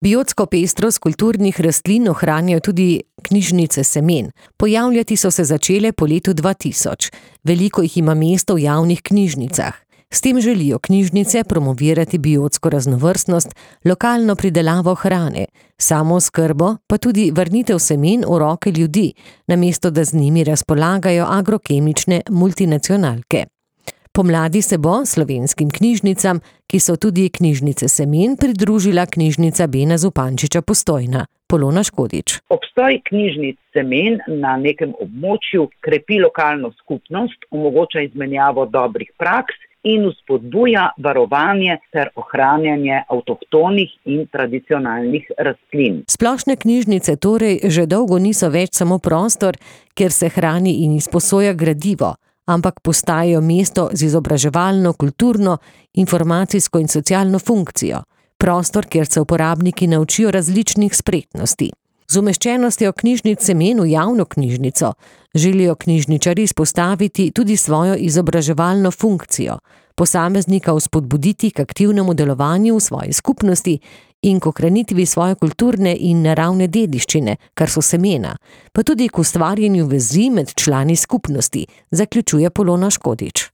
Biotsko pestrost kulturnih rastlin ohranjajo tudi knjižnice semen. Pojavljati so se začele po letu 2000. Veliko jih ima mesto v javnih knjižnicah. S tem želijo knjižnice promovirati biotsko raznovrstnost, lokalno pridelavo hrane, samooskrbo, pa tudi vrnitev semen v roke ljudi, namesto da z njimi razpolagajo agrokemične multinacionalke. Pomladi se bo slovenskim knjižnicam, ki so tudi knjižnice semen, pridružila knjižnica Bena Zupančiča Postojna. Polona Škodič. Obstoj knjižnic semen na nekem območju krepi lokalno skupnost, omogoča izmenjavo dobrih praks in vzpodbuja varovanje ter ohranjanje avtohtonih in tradicionalnih rastlin. Splošne knjižnice torej že dolgo niso več samo prostor, kjer se hrani in izposoja gradivo, ampak postajajo mesto z izobraževalno, kulturno, informacijsko in socialno funkcijo. Prostor, kjer se uporabniki naučijo različnih spretnosti. Z umeščenostjo knjižnic semen v javno knjižnico želijo knjižničarji izpostaviti tudi svojo izobraževalno funkcijo, posameznika vzpodbuditi k aktivnemu delovanju v svoji skupnosti in k ohranitvi svoje kulturne in naravne dediščine, kar so semena, pa tudi k ustvarjanju vezi med člani skupnosti, zaključuje Polona Škodič.